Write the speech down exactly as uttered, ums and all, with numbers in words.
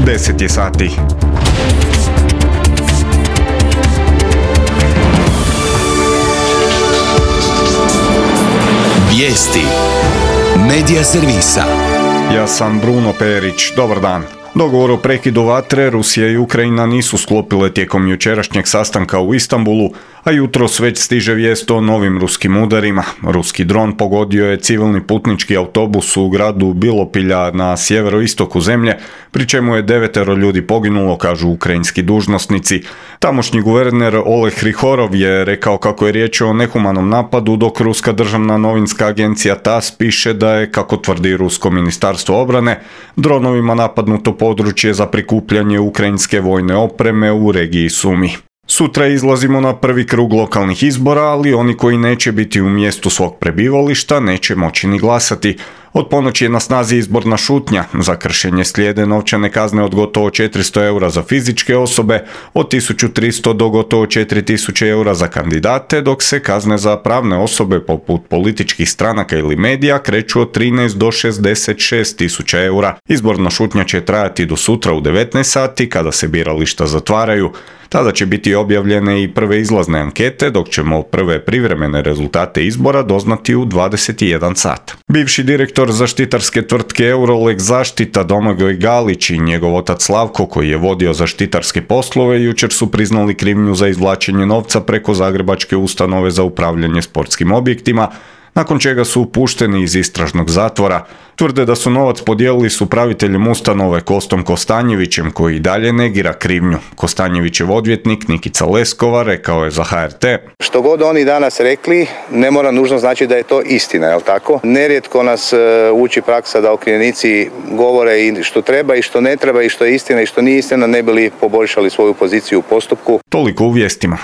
deset je sati. Vijesti Medija servisa. Ja sam Bruno Perić, dobar dan. Dogovor o prekidu vatre Rusija i Ukrajina nisu sklopile tijekom jučerašnjeg sastanka u Istanbulu, a jutros već stiže vijest o novim ruskim udarima. Ruski dron pogodio je civilni putnički autobus u gradu Bilopilja na sjeveroistoku zemlje, pri čemu je devetero ljudi poginulo, kažu ukrajinski dužnosnici. Tamošnji guverner Oleg Hrihorov je rekao kako je riječ o nehumanom napadu, dok ruska državna novinska agencija TASS piše da je, kako tvrdi rusko ministarstvo obrane, dronovima napadnuto područje za prikupljanje ukrajinske vojne opreme u regiji Sumi. Sutra izlazimo na prvi krug lokalnih izbora, ali oni koji neće biti u mjestu svog prebivališta neće moći ni glasati. Od ponoći je na snazi izborna šutnja. Za kršenje slijede novčane kazne od gotovo četiristo eura za fizičke osobe, od tisuću tristo do gotovo četiri tisuće eura za kandidate, dok se kazne za pravne osobe poput političkih stranaka ili medija kreću od trinaest do šezdeset šest tisuća eura. Izborna šutnja će trajati do sutra u devetnaest sati kada se birališta zatvaraju. Tada će biti objavljene i prve izlazne ankete, dok ćemo prve privremene rezultate izbora doznati u dvadeset jedan sat. Bivši direktor zaštitarske tvrtke Eurolex Zaštita Domagoj Galić i njegov otac Slavko, koji je vodio zaštitarske poslove, jučer su priznali krivnju za izvlačenje novca preko Zagrebačke ustanove za upravljanje sportskim objektima, nakon čega su pušteni iz istražnog zatvora. Tvrde da su novac podijelili s upraviteljem ustanove Kostom Kostanjevićem, koji i dalje negira krivnju. Kostanjevićev odvjetnik Nikica Leskova rekao je za H R T: Što god oni danas rekli, ne mora nužno znači da je to istina, jel tako? Nerijetko nas uči praksa da okrivljenici govore i što treba i što ne treba i što je istina i što nije istina, ne bi li poboljšali svoju poziciju u postupku. Toliko u vijestima.